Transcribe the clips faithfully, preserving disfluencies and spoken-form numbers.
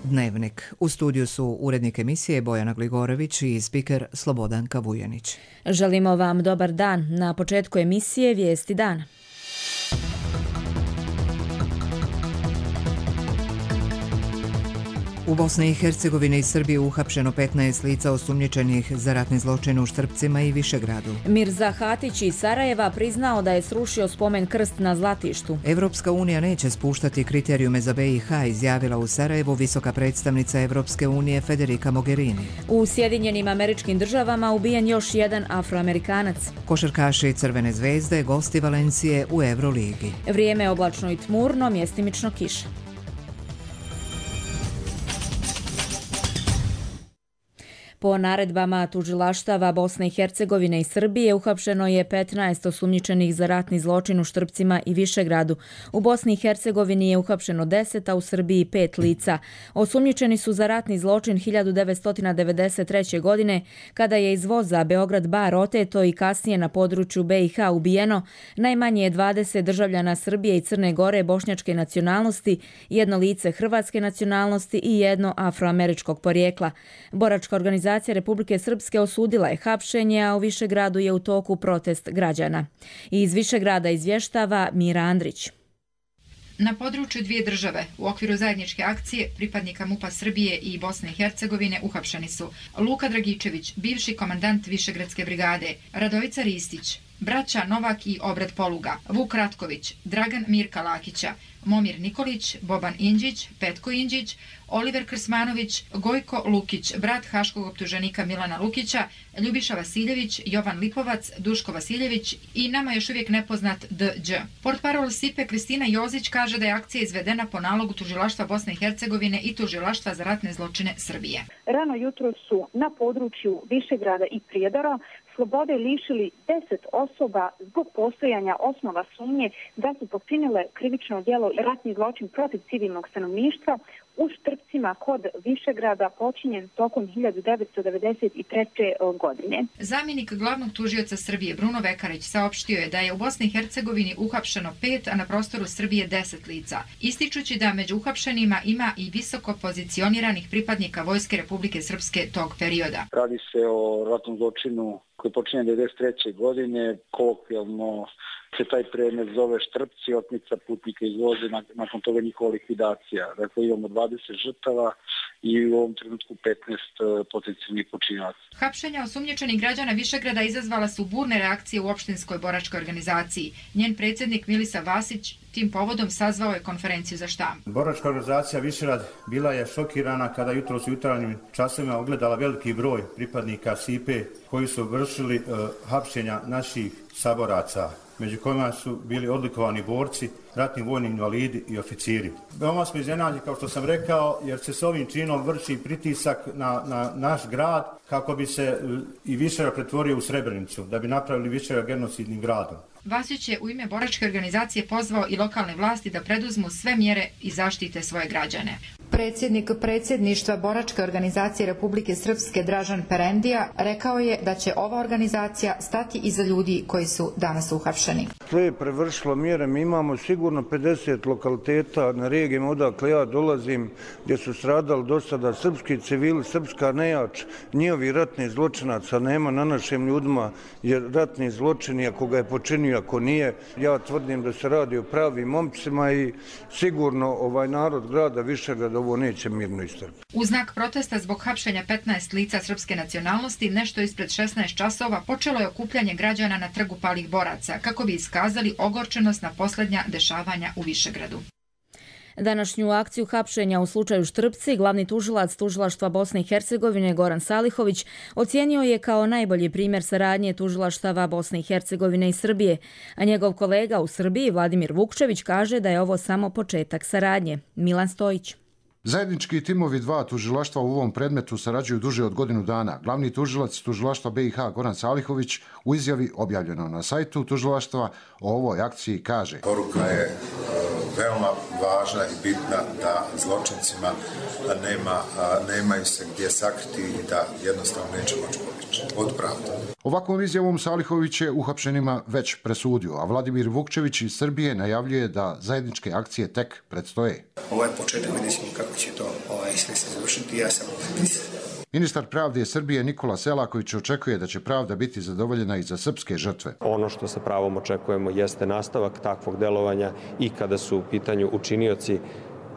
Dnevnik. U studiju su urednik emisije Bojana Gligorović i spiker Slobodanka Vujanić. Želimo vam dobar dan. Na početku emisije Vijesti dana. U Bosni i Hercegovini i Srbiji uhapšeno petnaest lica osumnjičenih za ratni zločin u Štrpcima i Višegradu. Mirza Hatić iz Sarajeva priznao da je srušio spomen krst na Zlatištu. Evropska unija neće spuštati kriterijume za be i ha, izjavila u Sarajevu visoka predstavnica Evropske unije Federica Mogherini. U Sjedinjenim Američkim Državama ubijen još jedan Afroamerikanac. Košarkaši Crvene zvezde, gosti Valencije u Euroligi. Vrijeme je oblačno i tmurno, mjestimično kiša. Po naredbama tužilaštava Bosne i Hercegovine i Srbije uhapšeno je petnaest osumnjičenih za ratni zločin u Štrpcima i Višegradu. U Bosni i Hercegovini je uhapšeno deset, a u Srbiji pet lica. Osumnjičeni su za ratni zločin hiljadu devetsto devedeset treće. godine, kada je iz voza Beograd-Bar oteto i kasnije na području be i ha ubijeno najmanje dvadeset državljana Srbije i Crne Gore bošnjačke nacionalnosti, jedno lice hrvatske nacionalnosti i jedno afroameričkog porijekla. Boračka organizacija Republike Srpske osudila je hapšenje, a u Višegradu je u toku protest građana. I iz Višegrada izvještava Mira Andrić. Na području dvije države, u okviru zajedničke akcije, pripadnika MUP-a Srbije i Bosne i Hercegovine uhapšeni su Luka Dragičević, bivši komandant Višegradske brigade, Radovica Ristić, braća Novak i Obrat Poluga, Vuk Ratković, Dragan Mirka Lakića, Momir Nikolić, Boban Inđić, Petko Inđić, Oliver Krsmanović, Gojko Lukić, brat haškog optuženika Milana Lukića, Ljubiša Vasiljević, Jovan Lipovac, Duško Vasiljević i nama još uvijek nepoznat de đe. Portparol Sipe Kristina Jozić kaže da je akcija izvedena po nalogu tužilaštva Bosne i Hercegovine i tužilaštva za ratne zločine Srbije. Rano jutro su na području Višegrada i Prijedora slobode lišili deset osoba zbog postojanja osnova sumnje da su počinile krivično djelo i ratni zločin protiv civilnog stanovništva u Štrpcima kod Višegrada počinjen tokom hiljadu devetsto devedeset treće. godine. Zamjenik glavnog tužioca Srbije Bruno Vekarić saopštio je da je u Bosni i Hercegovini uhapšeno pet, a na prostoru Srbije deset lica, ističući da među uhapšenima ima i visoko pozicioniranih pripadnika Vojske Republike Srpske tog perioda. Radi se o ratnom zločinu koji je počinjen devedeset treće. godine, kolokvijalno se taj predmet zove Štrpci, otmica putnika iz voza, nakon toga njihova likvidacija. Dakle, imamo dvadeset žrtava i u ovom trenutku petnaest potencijalnih počinioca. Hapšenja osumnjičenih građana Višegrada izazvala su burne reakcije u opštinskoj boračkoj organizaciji. Njen predsjednik Milisa Vasić tim povodom sazvao je konferenciju za štampu. Boračka organizacija Višegrad bila je šokirana kada jutros u jutarnjim časovima ogledala veliki broj pripadnika Sipe koji su vršili uh, hapšenja naših saboraca, među kojima su bili odlikovani borci, ratni vojni invalidi i oficiri. Veoma smo iznenađeni, kao što sam rekao, jer se s ovim činom vrši pritisak na, na naš grad kako bi se i Višegrad pretvorio u Srebrenicu, da bi napravili Višegrad genocidnim gradom. Vasić je u ime boračke organizacije pozvao i lokalne vlasti da preduzmu sve mjere i zaštite svoje građane. Predsjednik predsjedništva Boračke organizacije Republike Srpske Dražan Perendija rekao je da će ova organizacija stati iza ljudi koji su danas uhapšeni. To je prevršilo mjere. Mi imamo sigurno pedeset lokaliteta na regijama odakle ja dolazim gdje su stradali do sada srpski civili, srpska nejač, njihovi ratni zločinaca nema na našim ljudima, jer ratni zločini, ako ga je počinio, ako nije, ja tvrdim da se radi o pravim momcima i sigurno ovaj narod grada Višegrada ovo neće mirno istrpiti. U znak protesta zbog hapšenja petnaest lica srpske nacionalnosti, nešto ispred šesnaest časova počelo je okupljanje građana na trgu Palih boraca, kako bi iskazali ogorčenost na posljednja dešavanja u Višegradu. Današnju akciju hapšenja u slučaju Štrpci glavni tužilac tužilaštva Bosne i Hercegovine Goran Salihović ocijenio je kao najbolji primjer saradnje tužilaštava Bosne i Hercegovine i Srbije, a njegov kolega u Srbiji Vladimir Vukčević kaže da je ovo samo početak saradnje. Milan Stojić. Zajednički timovi dva tužilaštva u ovom predmetu sarađuju duže od godinu dana. Glavni tužilac tužilaštva be i ha Goran Salihović u izjavi objavljeno na sajtu tužilaštva o ovoj akciji kaže: Poruka je veoma važna i bitna da zločincima nema, nemaju se gdje sakriti i da jednostavno neće moći pobjeći od pravde. Ovakvom izjavom Salihović je uhapšenima već presudio, a Vladimir Vukčević iz Srbije najavljuje da zajedničke akcije tek predstoje. Ovo je početak, vidjet ćemo kako će to ovaj, sve se završiti. Ja sam Ministar pravde Srbije Nikola Selaković očekuje da će pravda biti zadovoljena i za srpske žrtve. Ono što sa pravom očekujemo jeste nastavak takvog delovanja i kada su u pitanju učinioci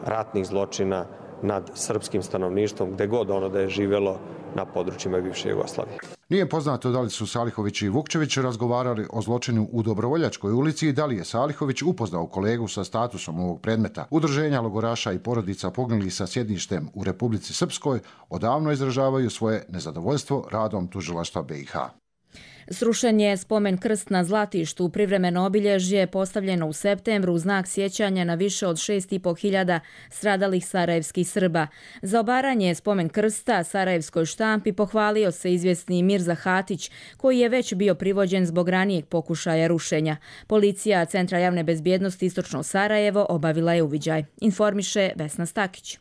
ratnih zločina nad srpskim stanovništvom, gde god ono da je živelo na područjima bivše Jugoslavije. Nije poznato da li su Salihović i Vukčević razgovarali o zločinu u Dobrovoljačkoj ulici i da li je Salihović upoznao kolegu sa statusom ovog predmeta. Udruženja logoraša i porodica poginulih sa sjedištem u Republici Srpskoj odavno izražavaju svoje nezadovoljstvo radom tužilaštva B i H. Srušen je spomen krst na Zlatištu, privremeno obilježje postavljeno u septembru u znak sjećanja na više od šest i po hiljada stradalih sarajevskih Srba. Za obaranje spomen krsta sarajevskoj štampi pohvalio se izvjesni Mirza Hatić, koji je već bio privođen zbog ranijeg pokušaja rušenja. Policija Centra javne bezbjednosti Istočno Sarajevo obavila je uviđaj. Informiše Vesna Stakić.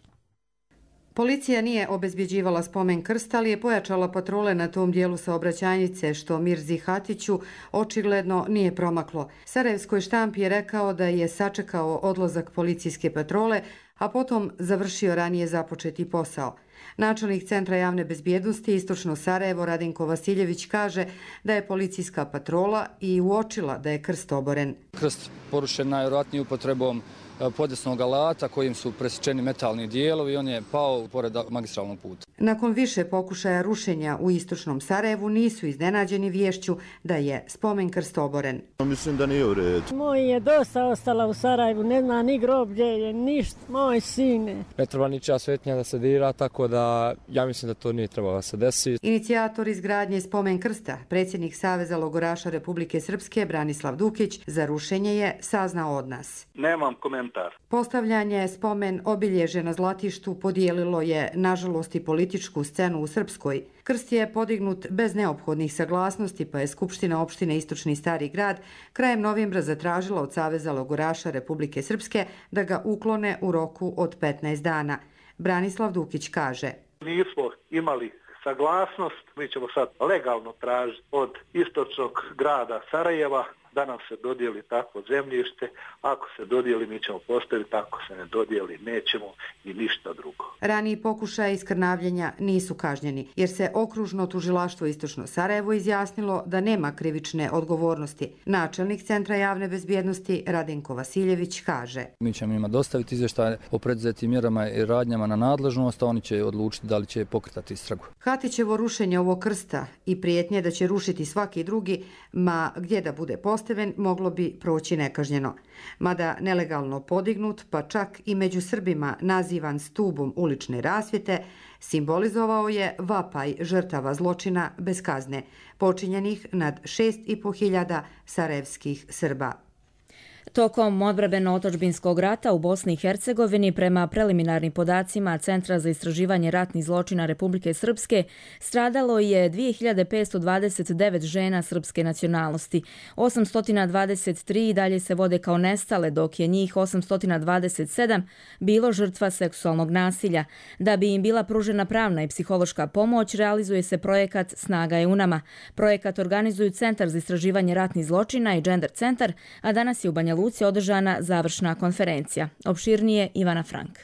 Policija nije obezbjeđivala spomen krst, ali je pojačala patrole na tom dijelu saobraćajnice, što Mirzi Hatiću očigledno nije promaklo. Sarajevskoj štampi je rekao da je sačekao odlazak policijske patrole, a potom završio ranije započeti posao. Načelnik Centra javne bezbjednosti Istočno Sarajevo Radenko Vasiljević kaže da je policijska patrola i uočila da je krst oboren. Krst porušen najvjerojatnije upotrebom podesnog alata kojim su presječeni metalni dijelovi i on je pao pored magistralnog puta. Nakon više pokušaja rušenja u Istočnom Sarajevu nisu iznenađeni viješću da je spomen krst oboren. Mislim da nije u redu. Moj je dosta ostala u Sarajevu, ne zna ni groblje je, ništa, moj sine. Ne treba ničija svetnja da se dira, tako da ja mislim da to nije trebalo da se desi. Inicijator izgradnje spomen krsta, predsjednik Saveza logoraša Republike Srpske Branislav Dukić, za rušenje je saznao od nas. Nemam komentar. Postavljanje spomen obilježe na Zlatištu podijelilo je, nažalost, i političku scenu u Srpskoj. Krst je podignut bez neophodnih saglasnosti, pa je Skupština opštine Istočni Stari grad krajem novembra zatražila od Saveza logoraša Republike Srpske da ga uklone u roku od petnaest dana. Branislav Dukić kaže: Nismo imali saglasnost, mi ćemo sad legalno tražiti od istočnog grada Sarajeva da nam se dodijeli takvo zemljište. Ako se dodijeli, mi ćemo postaviti, ako se ne dodijeli, nećemo i ništa drugo. Raniji pokušaj iskrnavljenja nisu kažnjeni, jer se okružno tužilaštvo Istočno Sarajevo izjasnilo da nema krivične odgovornosti. Načelnik Centra javne bezbjednosti Radenko Vasiljević kaže: Mi ćemo ima dostaviti izvještaje o preduzetim mjerama i radnjama na nadležnost, a oni će odlučiti da li će pokretati istragu. Hatićevo rušenje ovog krsta i prijetnje da će rušiti svaki drugi, ma gdje da bude postavljen, moglo bi proći nekažnjeno. Mada nelegalno podignut, pa čak i među Srbima nazivan stubom ulične rasvjete, simbolizovao je vapaj žrtava zločina bez kazne, počinjenih nad šest i po hiljada sarajevskih Srba. Tokom odbrambeno-otadžbinskog rata u Bosni i Hercegovini, prema preliminarnim podacima Centra za istraživanje ratnih zločina Republike Srpske, stradalo je dvije hiljade petsto dvadeset devet žena srpske nacionalnosti. osamsto dvadeset tri i dalje se vode kao nestale, dok je njih osamsto dvadeset sedam bilo žrtva seksualnog nasilja. Da bi im bila pružena pravna i psihološka pomoć, realizuje se projekat Snaga je u nama. Projekat organizuju Centar za istraživanje ratnih zločina i Gender centar, a danas je u Banja Luci održana završna konferencija. Opširnije Ivana Frank.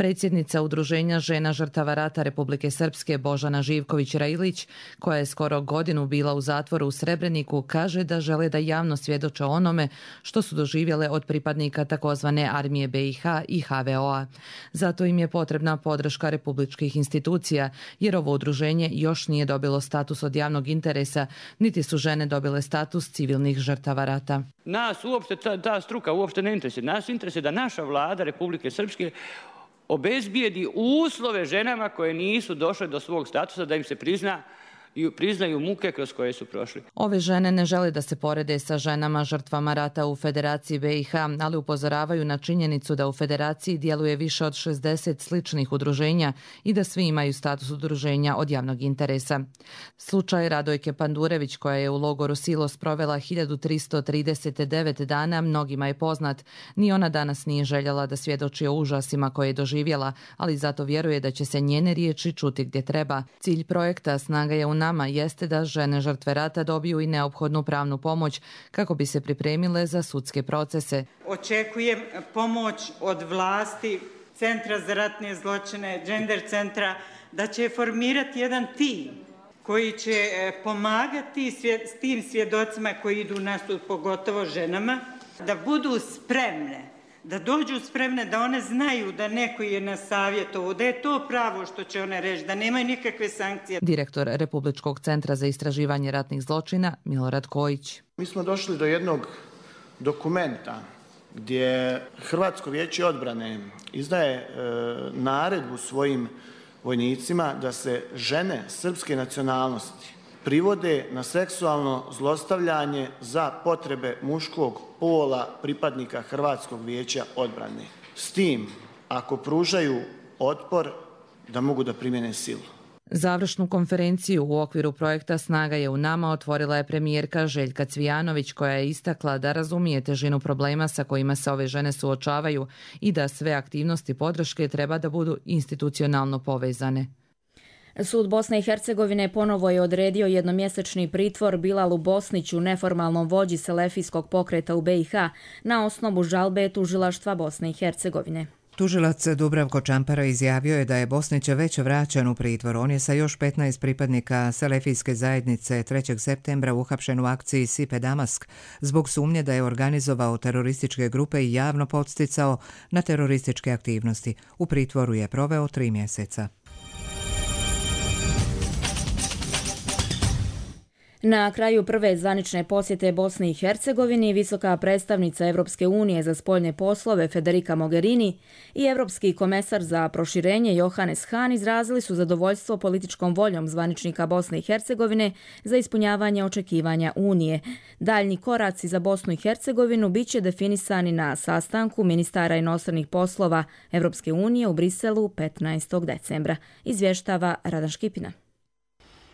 Predsjednica Udruženja žena žrtava rata Republike Srpske Božana Živković-Railić, koja je skoro godinu bila u zatvoru u Srebreniku, kaže da žele da javno svjedoče onome što su doživjele od pripadnika takozvane armije B i H i H V O a. Zato im je potrebna podrška republičkih institucija, jer ovo udruženje još nije dobilo status od javnog interesa, niti su žene dobile status civilnih žrtava rata. Nas uopšte ta, ta struka uopšte ne interesuje. Nas interesuje da naša vlada Republike Srpske obezbijedi uslove ženama koje nisu došle do svog statusa, da im se prizna i priznaju muke kroz koje su prošli. Ove žene ne žele da se porede sa ženama žrtvama rata u Federaciji B i H, ali upozoravaju na činjenicu da u Federaciji djeluje više od šezdeset sličnih udruženja i da svi imaju status udruženja od javnog interesa. Slučaj Radojke Pandurević, koja je u logoru Silos provela hiljadu tristo trideset devet dana, mnogima je poznat. Ni ona danas nije željela da svjedoči o užasima koje je doživjela, ali zato vjeruje da će se njene riječi čuti gdje treba. Cilj projekta Snaga je u nama jeste da žene žrtve rata dobiju i neophodnu pravnu pomoć kako bi se pripremile za sudske procese. Očekujem pomoć od vlasti, Centra za ratne zločine, Gender centra, da će formirati jedan tim koji će pomagati s tim svjedocima koji idu u nastup, pogotovo ženama, da budu spremne, da dođu spremne, da one znaju da neko je na savjetovu, da je to pravo što će one reći, da nemaju nikakve sankcije. Direktor Republičkog centra za istraživanje ratnih zločina Milorad Kojić. Mi smo došli do jednog dokumenta gdje Hrvatsko vijeće odbrane izdaje e, naredbu svojim vojnicima da se žene srpske nacionalnosti privode na seksualno zlostavljanje za potrebe muškog pola pripadnika Hrvatskog vijeća odbrane. S tim, ako pružaju otpor, da mogu da primjene silu. Završnu konferenciju u okviru projekta Snaga je u nama otvorila je premijerka Željka Cvijanović, koja je istakla da razumije težinu problema sa kojima se ove žene suočavaju i da sve aktivnosti podrške treba da budu institucionalno povezane. Sud Bosne i Hercegovine ponovo je odredio jednomjesečni pritvor Bilalu Bosniću, neformalnom vođi selefijskog pokreta u B i H, na osnovu žalbe tužilaštva Bosne i Hercegovine. Tužilac Dubravko Čampara izjavio je da je Bosnić već vraćan u pritvor. On je sa još petnaest pripadnika selefijske zajednice trećeg septembra uhapšen u akciji Sipe Damask zbog sumnje da je organizovao terorističke grupe i javno podsticao na terorističke aktivnosti. U pritvoru je proveo tri mjeseca. Na kraju prve zvanične posjete Bosni i Hercegovini, visoka predstavnica Evropske unije za spoljne poslove Federica Mogherini i evropski komesar za proširenje Johannes Hahn izrazili su zadovoljstvo političkom voljom zvaničnika Bosne i Hercegovine za ispunjavanje očekivanja Unije. Daljnji koraci za Bosnu i Hercegovinu bit će definisani na sastanku ministara inostranih poslova Evropske unije u Briselu petnaestog decembra, izvještava Radan Škipina.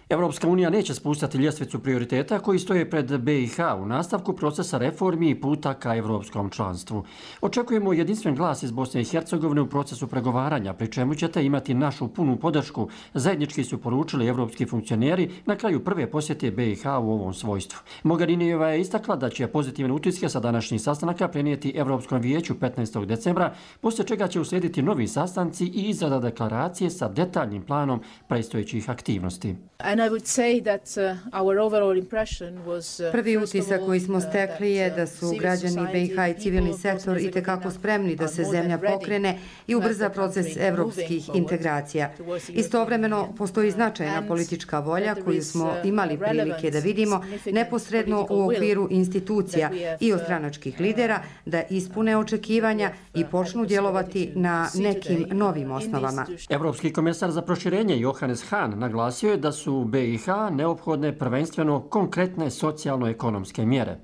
Evropska unija neće spustati ljestvicu prioriteta koji stoje pred B i H u nastavku procesa reformi i puta ka evropskom članstvu. Očekujemo jedinstven glas iz Bosne i Hercegovine u procesu pregovaranja, pri čemu ćete imati našu punu podršku, zajednički su poručili evropski funkcioneri na kraju prve posjete B i H u ovom svojstvu. Mogherinijeva je istakla da će pozitivne utiske sa današnjih sastanaka prenijeti Evropskom vijeću petnaestog decembra, poslije čega će uslijediti novi sastanci i izrada deklaracije sa detaljnim planom predstojećih aktivnosti. Prvi utisak koji smo stekli je da su građani B i H i civilni sektor itekako spremni da se zemlja pokrene i ubrza proces evropskih integracija. Istovremeno postoji značajna politička volja koju smo imali prilike da vidimo neposredno u okviru institucija i od stranačkih lidera da ispune očekivanja i počnu djelovati na nekim novim osnovama. Evropski komesar za proširenje Johannes Hahn naglasio je da su u B i H neophodne prvenstveno konkretne socijalno-ekonomske mjere.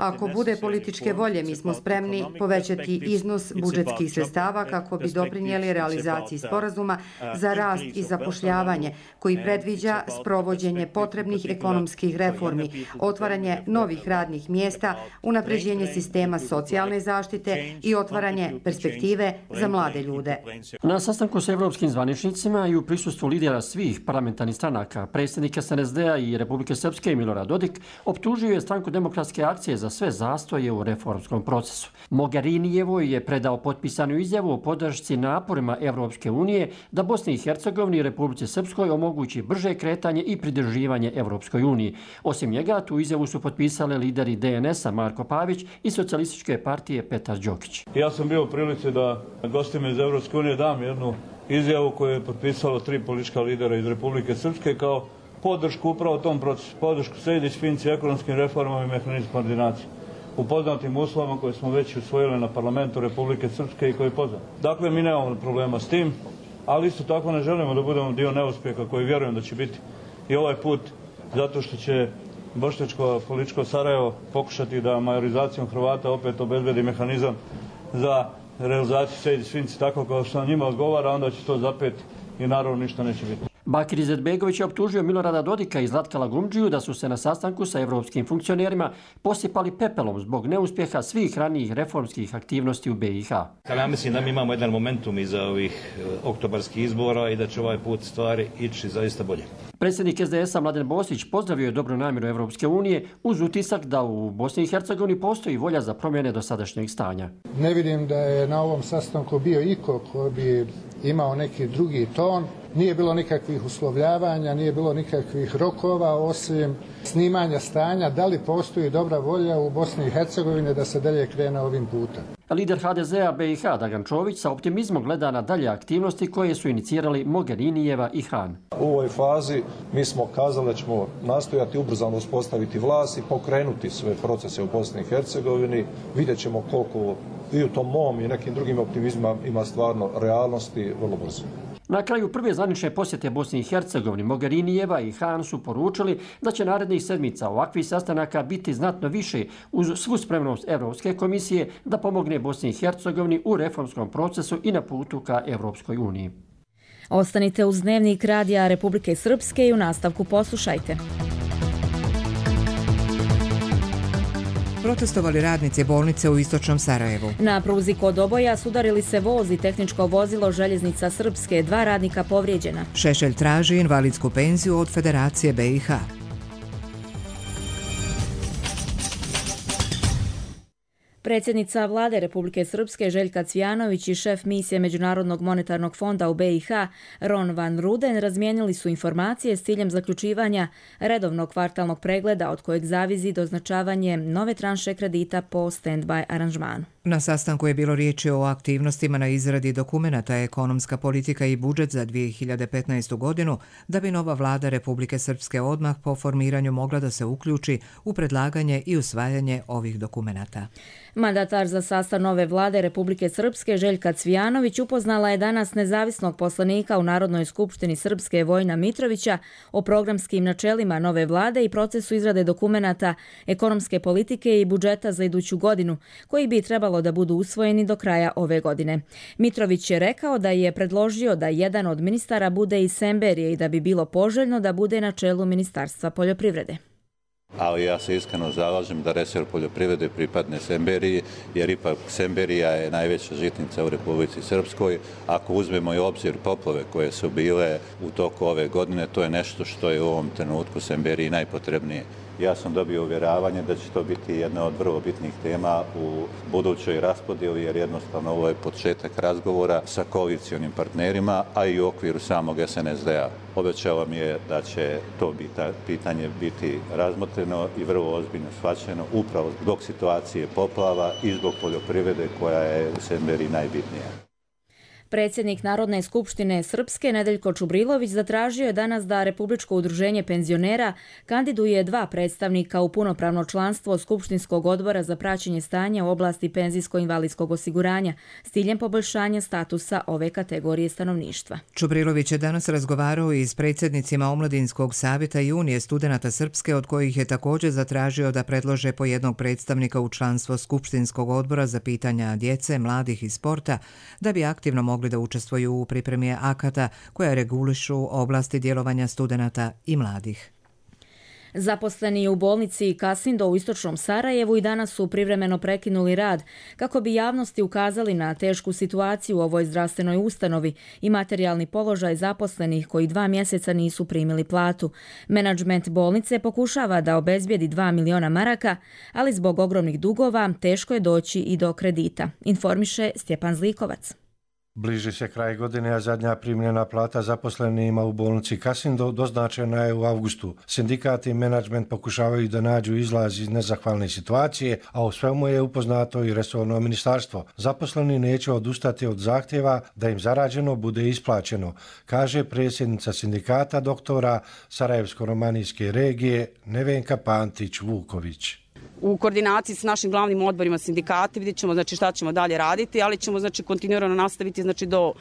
Ako bude političke volje, mi smo spremni povećati iznos budžetskih sredstava kako bi doprinijeli realizaciji sporazuma za rast i zapošljavanje koji predviđa sprovođenje potrebnih ekonomskih reformi, otvaranje novih radnih mjesta, unapređenje sistema socijalne zaštite i otvaranje perspektive za mlade ljude. Na sastanku s evropskim zvaničnicima i u prisustvu lidera svih parlamentarnih stranaka, predsjednika S N S D-a i Republike Srpske Milorad Dodik optužio je stranku Demokratske akcije za sve zastoje u reformskom procesu. Mogherinijevoj je predao potpisanu izjavu o podršci naporima Evropske unije da Bosni i Hercegovini i Republici Srpskoj omogući brže kretanje i pridruživanje Evropskoj uniji. Osim njega, tu izjavu su potpisali lideri D N S-a Marko Pavić i Socijalističke partije Petar Đokić. Ja sam bio u prilici da gostima iz Evropske unije dam jednu izjavu koju je potpisalo tri politička lidera iz Republike Srpske kao podršku upravo tom procesu, podršku sredić finci ekonomskim reformama i mehanizmu koordinacije u poznatim uslovima koje smo već usvojili na parlamentu Republike Srpske i koji je poznat. Dakle, mi nemamo problema s tim. ali isto tako ne želimo da budemo dio neuspjeha koji vjerujem da će biti i ovaj put, zato što će bošnjačko političko Sarajevo pokušati da majorizacijom Hrvata opet obezbedi mehanizam za realizaciju Sejdić-Finci tako kao što njima odgovara, onda će to zapet i naravno ništa neće biti. Bakir Izetbegović je optužio Milorada Dodika i Zlatka Lagumdžiju da su se na sastanku sa evropskim funkcionerima posipali pepelom zbog neuspjeha svih ranijih reformskih aktivnosti u be i ha. Ja mislim da mi imamo jedan momentum iza ovih oktobarskih izbora i da će ovaj put stvari ići zaista bolje. Predsjednik es de es a Mladen Boslić pozdravio je dobru namjeru Evropske unije uz utisak da u Bosni i Hercegovini postoji volja za promjene dosadašnjeg stanja. Ne vidim da je na ovom sastanku bio iko koji bi imao neki drugi ton. Nije bilo nikakvih uslovljavanja, nije bilo nikakvih rokova osim snimanja stanja da li postoji dobra volja u Bosni i Hercegovini da se dalje krene ovim putem. Lider ha de zea be i ha Dragan Čović sa optimizmom gleda na dalje aktivnosti koje su inicirali Mogherinijeva i Han. U ovoj fazi mi smo kazali da ćemo nastojati ubrzano uspostaviti vlast i pokrenuti sve procese u Bosni i Hercegovini. Vidjet ćemo koliko i u tom mom i nekim drugim optimizmima ima stvarno realnosti vrlo brzo. Na kraju prve zvanične posjete Bosni i Hercegovini Mogherinijeva i Han su poručili da će narednih sedmica ovakvih sastanaka biti znatno više uz svu spremnost Evropske komisije da pomogne Bosni i Hercegovini u reformskom procesu i na putu ka Evropskoj uniji. Ostanite uz Dnevnik Radija Republike Srpske i u nastavku poslušajte. Protestovali radnici bolnice u istočnom Sarajevu. Na pruzi kod Oboja sudarili se voz i tehničko vozilo Željeznica Srpske, dva radnika povrijeđena. Šešelj traži invalidsku penziju od Federacije be i ha. Predsjednica vlade Republike Srpske Željka Cvijanović i šef misije Međunarodnog monetarnog fonda u be i ha Ron van Ruden razmijenili su informacije s ciljem zaključivanja redovnog kvartalnog pregleda od kojeg zavisi doznačavanje nove tranše kredita po stand-by aranžmanu. Na sastanku je bilo riječi o aktivnostima na izradi dokumenata ekonomska politika i budžet za dvije hiljade petnaestu. godinu, da bi nova vlada Republike Srpske odmah po formiranju mogla da se uključi u predlaganje i usvajanje ovih dokumenata. Mandatar za sastav nove vlade Republike Srpske Željka Cvijanović upoznala je danas nezavisnog poslanika u Narodnoj skupštini Srpske Vojna Mitrovića o programskim načelima nove vlade i procesu izrade dokumenata ekonomske politike i budžeta za iduću godinu, koji bi trebalo da budu usvojeni do kraja ove godine. Mitrović je rekao da je predložio da jedan od ministara bude iz Semberije i da bi bilo poželjno da bude na čelu Ministarstva poljoprivrede. Ali ja se iskreno zalažem da resor poljoprivrede pripadne Semberiji, jer ipak Semberija je najveća žitnica u Republici Srpskoj. Ako uzmemo i obzir poplave koje su bile u toku ove godine, to je nešto što je u ovom trenutku Semberiji najpotrebnije. Ja sam dobio uvjeravanje da će to biti jedna od vrlo bitnih tema u budućoj raspodjeli, jer jednostavno ovo je početak razgovora sa koalicionim partnerima, a i u okviru samog es en es de a. Obećala mi je da će to pitanje biti razmotreno i vrlo ozbiljno shvaćeno upravo zbog situacije poplava i zbog poljoprivrede koja je u Semberiji najbitnija. Predsjednik Narodne skupštine Srpske Nedeljko Čubrilović zatražio je danas da Republičko udruženje penzionera kandiduje dva predstavnika u punopravno članstvo Skupštinskog odbora za praćenje stanja u oblasti penzijsko-invalidskog osiguranja s ciljem poboljšanja statusa ove kategorije stanovništva. Čubrilović je danas razgovarao i s predsjednicima Omladinskog savjeta i Unije studenata Srpske, od kojih je također zatražio da predlože po jednog predstavnika u članstvo Skupštinskog odbora za pitanja djece, mladih i sporta, da bi aktivno mogli da učestvuju u pripremi akata koja regulišu oblasti djelovanja studenata i mladih. Zaposleni u bolnici Kasindo u istočnom Sarajevu i danas su privremeno prekinuli rad kako bi javnosti ukazali na tešku situaciju u ovoj zdravstvenoj ustanovi i materijalni položaj zaposlenih koji dva mjeseca nisu primili platu. Menadžment bolnice pokušava da obezbijedi dva miliona maraka, ali zbog ogromnih dugova teško je doći i do kredita, informiše Stjepan Zlikovac. Bliži se kraj godine, a zadnja primljena plata zaposlenima u bolnici Kasindo doznačena je u avgustu. Sindikat i menadžment pokušavaju da nađu izlaz iz nezahvalne situacije, a o svemu je upoznato i resorno ministarstvo. Zaposleni neće odustati od zahtjeva da im zarađeno bude isplaćeno, kaže predsjednica sindikata doktora Sarajevsko-romanijske regije Nevenka Pantić-Vuković. U koordinaciji s našim glavnim odborima sindikata vidjet ćemo znači, šta ćemo dalje raditi, ali ćemo znači, kontinuirano nastaviti znači, do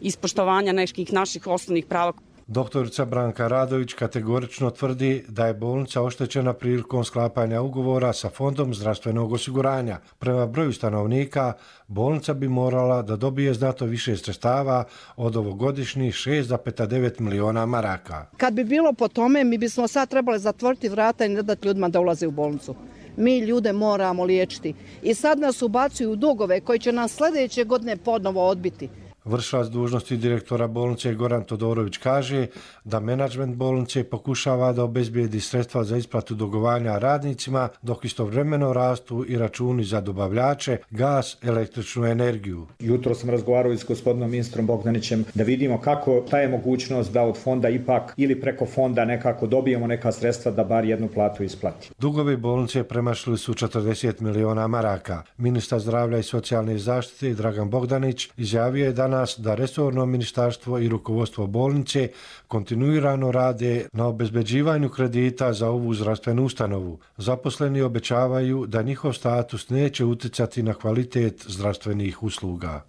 ispoštovanja nekih naših osnovnih prava. Doktorica Branka Radović kategorično tvrdi da je bolnica oštećena prilikom sklapanja ugovora sa Fondom zdravstvenog osiguranja. Prema broju stanovnika, bolnica bi morala da dobije znato više sredstava od ovogodišnjih šest zarez devet miliona maraka. Kad bi bilo po tome, mi bismo sad trebali zatvoriti vrata i ne dati ljudima da ulaze u bolnicu. Mi ljude moramo liječiti. I sad nas ubacuju u dugove koji će nas sljedeće godine ponovo odbiti. Vršilac dužnosti direktora bolnice Goran Todorović kaže da menadžment bolnice pokušava da obezbijedi sredstva za isplatu dugovanja radnicima, dok istovremeno rastu i računi za dobavljače, gas, električnu energiju. Jutro sam razgovarao s gospodinom ministrom Bogdanićem da vidimo kako ta je mogućnost da od fonda ipak ili preko fonda nekako dobijemo neka sredstva da bar jednu platu isplati. Dugovi bolnice premašili su četrdeset miliona maraka. Ministar zdravlja i socijalne zaštite Dragan Bogdanić izjavio je danas da resorno ministarstvo i rukovodstvo bolnice kontinuirano rade na obezbeđivanju kredita za ovu zdravstvenu ustanovu. Zaposleni obećavaju da njihov status neće uticati na kvalitet zdravstvenih usluga.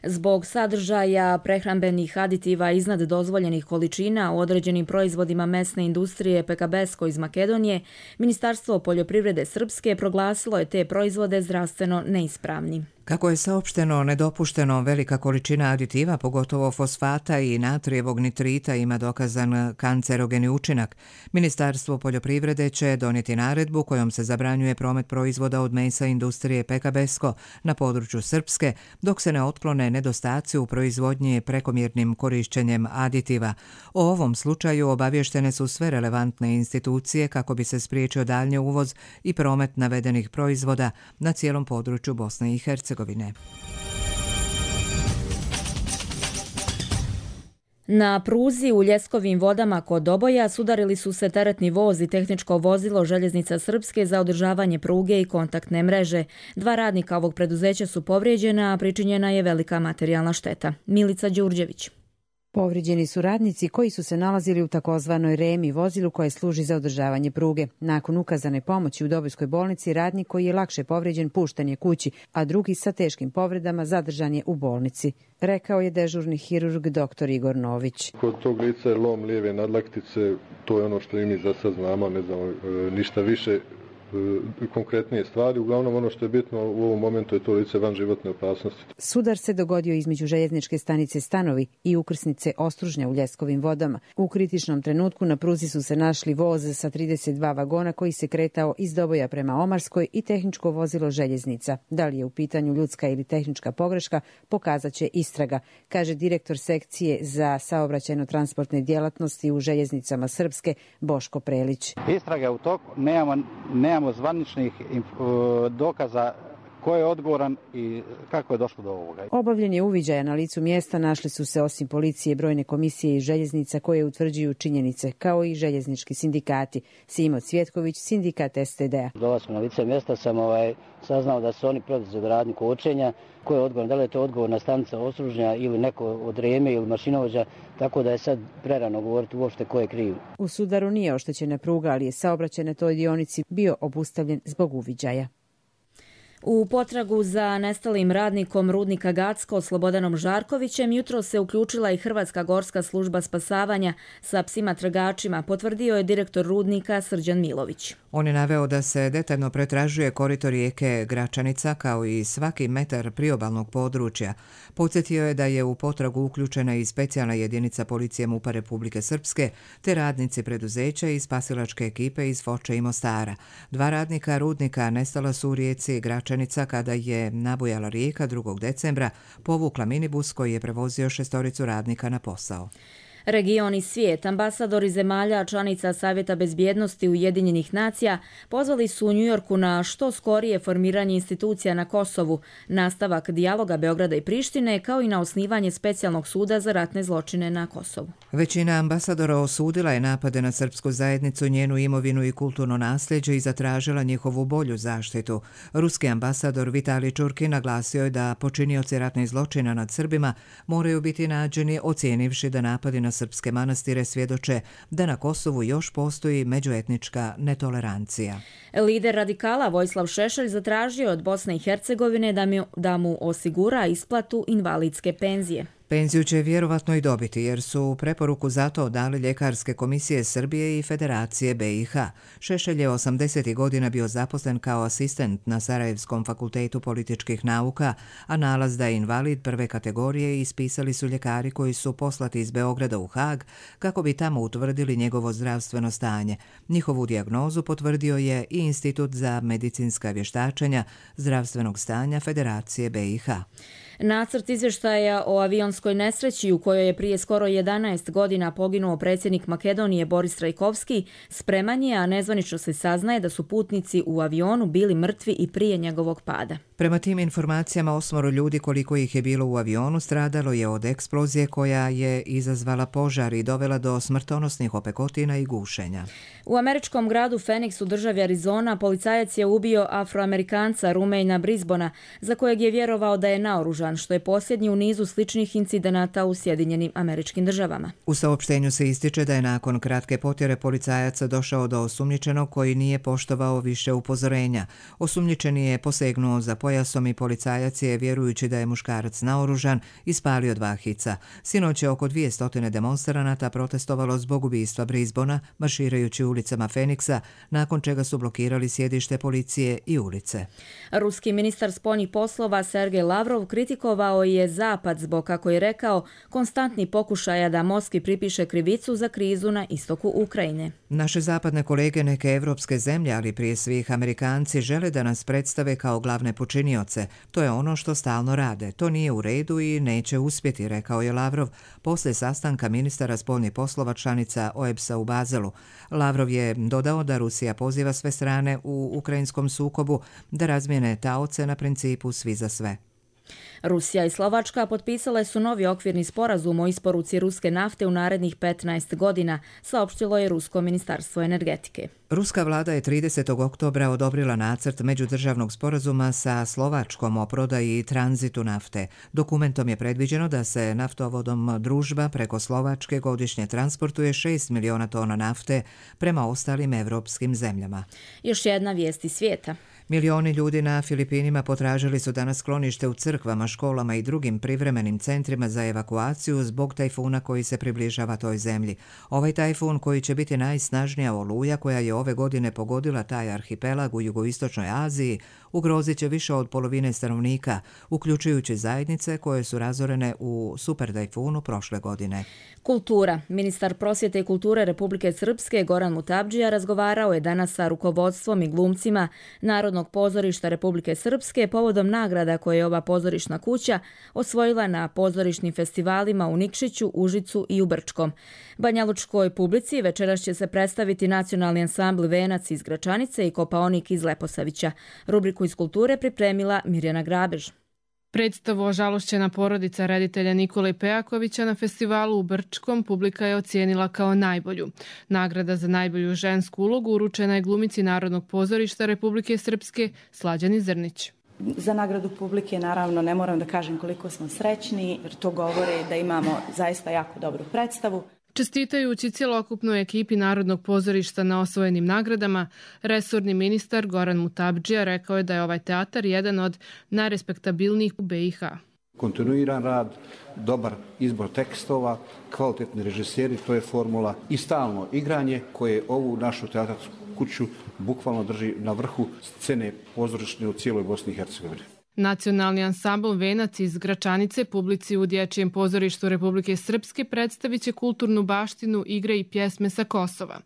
Zbog sadržaja prehrambenih aditiva iznad dozvoljenih količina u određenim proizvodima mesne industrije Pekabesko iz Makedonije, Ministarstvo poljoprivrede Srpske proglasilo je te proizvode zdravstveno neispravni. Kako je saopšteno, nedopušteno velika količina aditiva, pogotovo fosfata i natrijevog nitrita, ima dokazan kancerogeni učinak. Ministarstvo poljoprivrede će donijeti naredbu kojom se zabranjuje promet proizvoda od mesa industrije Pekabesko na području Srpske, dok se ne otklone nedostaci u proizvodnji prekomjernim korišćenjem aditiva. O ovom slučaju obavještene su sve relevantne institucije kako bi se spriječio daljnji uvoz i promet navedenih proizvoda na cijelom području Bosne i Hercegovine. Na pruzi u Ljeskovim vodama kod Doboja sudarili su se teretni voz i tehničko vozilo Željeznica Srpske za održavanje pruge i kontaktne mreže. Dva radnika ovog preduzeća su povrijeđena, a pričinjena je velika materijalna šteta. Milica Đurđević. Povrijeđeni su radnici koji su se nalazili u takozvanoj remi, vozilu koje služi za održavanje pruge. Nakon ukazane pomoći u Dobojskoj bolnici, radnik koji je lakše povrijeđen pušten je kući, a drugi sa teškim povredama zadržan je u bolnici, rekao je dežurni hirurg dr. Igor Nović. Kod tog lica je lom lijeve nadlaktice, to je ono što i mi za sad znamo, ne znamo ništa više konkretnije stvari. Uglavnom ono što je bitno u ovom momentu je to lice van životne opasnosti. Sudar se dogodio između željezničke stanice Stanovi i ukrsnice Ostružnja u Ljeskovim vodama. U kritičnom trenutku na pruzi su se našli voz sa trideset dva vagona koji se kretao iz Doboja prema Omarskoj i tehničko vozilo željeznica. Da li je u pitanju ljudska ili tehnička pogreška, pokazat će istraga, kaže direktor sekcije za saobraćajno-transportne djelatnosti u željeznicama Srpske Boško Prelić. Istraga je u toku, nemamo, nemamo zvaničnih dokaza ko je odgovoran i kako je došlo do ovoga. Obavljen je uviđaj na licu mjesta, našli su se osim policije brojne komisije i željeznica koje utvrđuju činjenice, kao i željeznički sindikati. Simo Cvjetković, sindikat S T D-a. Dolaskom na lice mjesta sam ovaj, saznao da su oni preduzeli radnju kočenja. Ko je odgovoran, da li je to odgovorna stanica Ostružnja ili neko od Reme ili mašinovođa, tako da je sad prerano govoriti uopšte ko je kriv. U sudaru nije oštećena pruga, ali je saobraćaj na toj dionici bio obustavljen zbog uviđaja. U potragu za nestalim radnikom rudnika Gacko Slobodanom Žarkovićem jutro se uključila i Hrvatska gorska služba spasavanja sa psima tragačima, potvrdio je direktor rudnika Srđan Milović. On je naveo da se detaljno pretražuje korito rijeke Gračanica kao i svaki metar priobalnog područja. Podsjetio je da je u potragu uključena i specijalna jedinica policije MUP-a Republike Srpske te radnici preduzeća i spasilačke ekipe iz Foče i Mostara. Dva radnika rudnika nestala su u rijeci Gračanica kada je nabujala rijeka drugog decembra, povukla minibus koji je prevozio šestoricu radnika na posao. Region i svijet, ambasadori zemalja članica Savjeta bezbjednosti Ujedinjenih nacija pozvali su u Njujorku na što skorije formiranje institucija na Kosovu, nastavak dijaloga Beograda i Prištine, kao i na osnivanje specijalnog suda za ratne zločine na Kosovu. Većina ambasadora osudila je napade na srpsku zajednicu, njenu imovinu i kulturno nasljeđe i zatražila njihovu bolju zaštitu. Ruski ambasador Vitalij Čurkin naglasio je da počinioci ratnih zločina nad Srbima moraju biti nađeni, ocijenivši da napadi na srpske manastire svjedoče da na Kosovu još postoji međuetnička netolerancija. Lider radikala Vojislav Šešelj zatražio od Bosne i Hercegovine da mu, da mu osigura isplatu invalidske penzije. Penziju će vjerovatno i dobiti jer su preporuku za to dali ljekarske komisije Srbije i Federacije B i H. Šešelj je osamdesetih godina bio zaposlen kao asistent na Sarajevskom fakultetu političkih nauka, a nalaz da je invalid prve kategorije ispisali su ljekari koji su poslati iz Beograda u Hag kako bi tamo utvrdili njegovo zdravstveno stanje. Njihovu dijagnozu potvrdio je i Institut za medicinska vještačenja zdravstvenog stanja Federacije B i H. Nacrt izvještaja o avionskoj nesreći u kojoj je prije skoro jedanaest godina poginuo predsjednik Makedonije Boris Trajkovski spreman je, a nezvanično se saznaje da su putnici u avionu bili mrtvi i prije njegovog pada. Prema tim informacijama osmoro ljudi koliko ih je bilo u avionu stradalo je od eksplozije koja je izazvala požar i dovela do smrtonosnih opekotina i gušenja. U američkom gradu Phoenix u državi Arizona policajac je ubio Afroamerikanca Rumeina Brisbona za kojeg je vjerovao da je naoružan, što je posljednji u nizu sličnih incidenata u Sjedinjenim Američkim Državama. U saopštenju se ističe da je nakon kratke potjere policajaca došao do osumnjičenog koji nije poštovao više upozorenja. Osumnjičeni je posegnuo za pojasom i policajac je, vjerujući da je muškarac naoružan, ispalio dva hica. Sinoć je oko dvije stotine demonstranata protestovalo zbog ubistva Brisbona, marširajući ulicama Feniksa, nakon čega su blokirali sjedište policije i ulice. Ruski ministar spoljnih poslova Sergej Lavrov kritikovao je Zapad zbog, kako je rekao, konstantni pokušaja da Moskvi pripiše krivicu za krizu na istoku Ukrajine. Naše zapadne kolege, neke evropske zemlje, ali prije svih Amerikanci, žele da nas predstave kao glavne počinioce. To je ono što stalno rade. To nije u redu i neće uspjeti, rekao je Lavrov poslije sastanka ministara spoljnih poslova članica O E B S-a u Bazelu. Lavrov je dodao da Rusija poziva sve strane u ukrajinskom sukobu da razmijene taoce na principu svi za sve. Rusija i Slovačka potpisale su novi okvirni sporazum o isporuci ruske nafte u narednih petnaest godina, saopštilo je Rusko ministarstvo energetike. Ruska vlada je tridesetog oktobra odobrila nacrt međudržavnog sporazuma sa Slovačkom o prodaji i tranzitu nafte. Dokumentom je predviđeno da se naftovodom Družba preko Slovačke godišnje transportuje šest miliona tona nafte prema ostalim evropskim zemljama. Još jedna vijest iz svijeta. Milioni ljudi na Filipinima potražili su danas sklonište u crkvama, školama i drugim privremenim centrima za evakuaciju zbog tajfuna koji se približava toj zemlji. Ovaj tajfun, koji će biti najsnažnija oluja koja je ove godine pogodila taj arhipelag u jugoistočnoj Aziji, ugrozit će više od polovine stanovnika, uključujući zajednice koje su razorene u super tajfunu prošle godine. Kultura. Ministar prosvjete i kulture Republike Srpske Goran Mutabdžija razgovarao je danas sa rukovodstvom i glumcima Narodnog pozorišta Republike Srpske povodom nagrada koje je ova pozorišna kuća osvojila na pozorišnim festivalima u Nikšiću, Užicu i u Brčkom. Banjalučkoj publici večeras će se predstaviti nacionalni ansambl Venac iz Gračanice i Kopaonik iz Leposavića. Rubriku iz kulture pripremila Mirjana Grabež. Predstavu Ožalošćena porodica reditelja Nikole Pejakovića na festivalu u Brčkom publika je ocijenila kao najbolju. Nagrada za najbolju žensku ulogu uručena je glumici Narodnog pozorišta Republike Srpske Slađani Zrnić. Za nagradu publike naravno ne moram da kažem koliko smo srećni, jer to govori da imamo zaista jako dobru predstavu. Čestitajući cjelokupnoj ekipi Narodnog pozorišta na osvojenim nagradama, resorni ministar Goran Mutabdžija rekao je da je ovaj teatar jedan od najrespektabilnijih u B i H. Kontinuiran rad, dobar izbor tekstova, kvalitetni režiseri, to je formula i stalno igranje koje ovu našu teatarsku kuću bukvalno drži na vrhu scene pozorišne u cijeloj Bosni i Hercegovini. Nacionalni ansambl Venac iz Gračanice publici u Dječjem pozorištu Republike Srpske predstavit će kulturnu baštinu, igre i pjesme sa Kosova.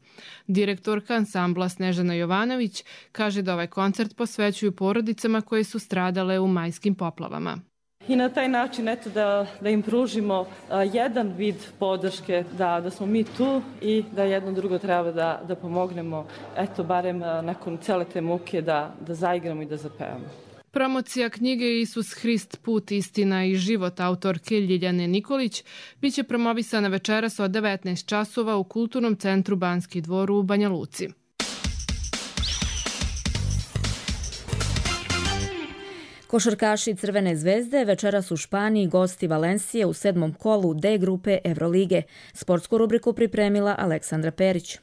Direktorka ansambla Snežana Jovanović kaže da ovaj koncert posvećuju porodicama koje su stradale u majskim poplavama. I na taj način eto, da, da im pružimo a, jedan vid podrške, da, da smo mi tu i da jedno drugo treba da, da pomognemo, eto, barem a, nakon cele te muke da, da zaigramo i da zapevamo. Promocija knjige Isus Hrist, put, istina i život autorke Ljiljane Nikolić biće promovisana večeras od devetnaest časova u Kulturnom centru Banski dvor u Banja Luci. Košarkaši Crvene zvezde večeras u Španiji gosti Valencije u sedmom kolu D grupe Evrolige. Sportsku rubriku pripremila Aleksandra Perić.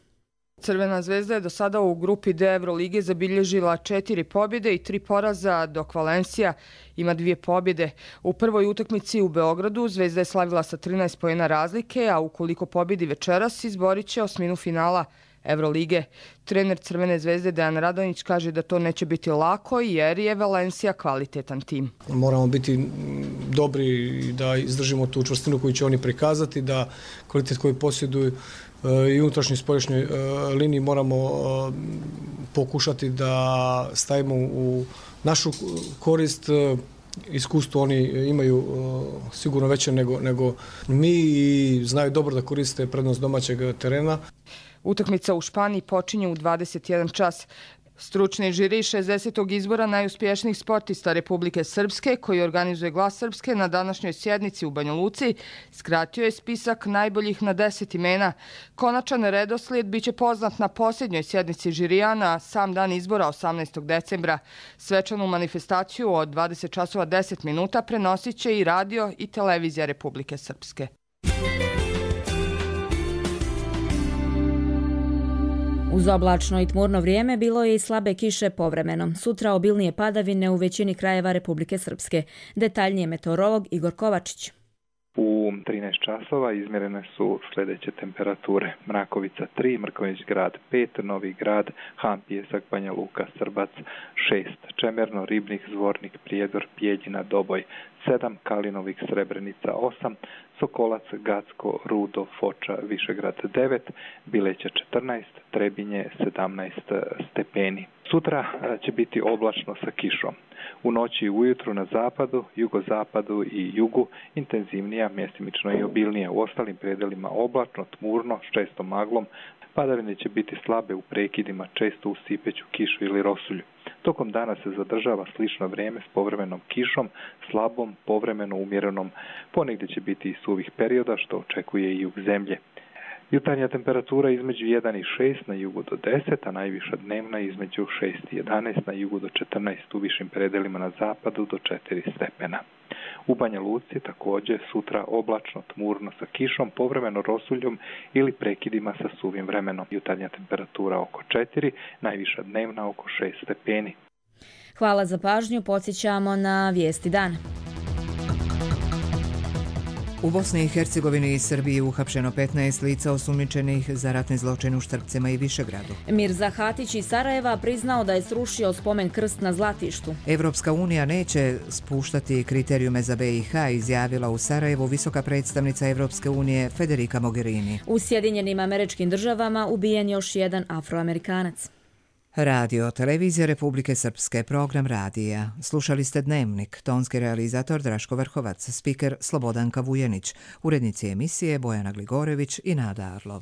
Crvena zvezda je do sada u grupi D Evrolige zabilježila četiri pobjede i tri poraza, dok Valencia ima dvije pobjede. U prvoj utakmici u Beogradu Zvezda je slavila sa trinaest poena razlike, a ukoliko pobjedi večeras izborit će osminu finala Evrolige. Trener Crvene zvezde Dejan Radonjić kaže da to neće biti lako jer je Valencia kvalitetan tim. Moramo biti dobri i da izdržimo tu čvrstinu koju će oni prikazati, da kvalitet koji posjeduju i unutrašnjoj i spoljašnjoj liniji moramo pokušati da stavimo u našu korist. Iskustvo oni imaju sigurno veće nego, nego mi i znaju dobro da koriste prednost domaćeg terena. Utakmica u Španiji počinje u dvadeset jedan čas. Stručni žiri šezdesetog izbora najuspješnijih sportista Republike Srpske, koji organizuje Glas Srpske na današnjoj sjednici u Banja Luci, skratio je spisak najboljih na deset imena. Konačan redoslijed biće poznat na posljednjoj sjednici žirija na sam dan izbora osamnaestog decembra. Svečanu manifestaciju od dvadeset časova deset minuta prenosit će i radio i televizija Republike Srpske. Uz oblačno i tmurno vrijeme bilo je i slabe kiše povremeno. Sutra obilnije padavine u većini krajeva Republike Srpske. Detaljnije meteorolog Igor Kovačić. U trinaest časova izmjerene su sljedeće temperature: Mrakovica tri, Mrkonjić Grad pet, Novi Grad, Han Pijesak, Banja Luka, Srbac šest, Čemerno, Ribnik, Zvornik, Prijedor, Pjeljina, Doboj sedam, Kalinovik, Srebrenica osam, Sokolac, Gacko, Rudo, Foča, Višegrad devet, Bileća četrnaest, Trebinje sedamnaest stepeni. Sutra će biti oblačno sa kišom. U noći i ujutru na zapadu, jugozapadu i jugu intenzivnija, mjestimično i obilnija. U ostalim predelima oblačno, tmurno, s čestom maglom. Padavine će biti slabe u prekidima, često u sipeću kišu ili rosulju. Tokom dana se zadržava slično vrijeme s povremenom kišom, slabom, povremeno umjerenom. Ponegdje će biti i suvih perioda, što očekuje i jug zemlje. Jutarnja temperatura između jedan i šest, na jugu do deset, a najviša dnevna između šest i jedanaest, na jugu do četrnaest, u višim predelima na zapadu do četiri stepena. U Banja Luci također sutra oblačno, tmurno sa kišom, povremeno rosuljom ili prekidima sa suvim vremenom. Jutarnja temperatura oko četiri, najviša dnevna oko šest stepeni. Hvala za pažnju, podsjećamo na vijesti dana. U Bosni i Hercegovini i Srbiji uhapšeno petnaest lica osumnjičenih za ratni zločin u Štrpcima i Višegradu. Mirza Hatić iz Sarajeva priznao da je srušio spomen krst na Zlatištu. Evropska unija neće spuštati kriterijume za B i H, izjavila u Sarajevu visoka predstavnica Evropske unije Federica Mogherini. U Sjedinjenim Američkim Državama ubijen još jedan Afroamerikanac. Radio, televizija Republike Srpske, program radija. Slušali ste Dnevnik, tonski realizator Draško Vrhovac, spiker Slobodanka Vujenić, urednici emisije Bojana Gligorević i Nada Arlov.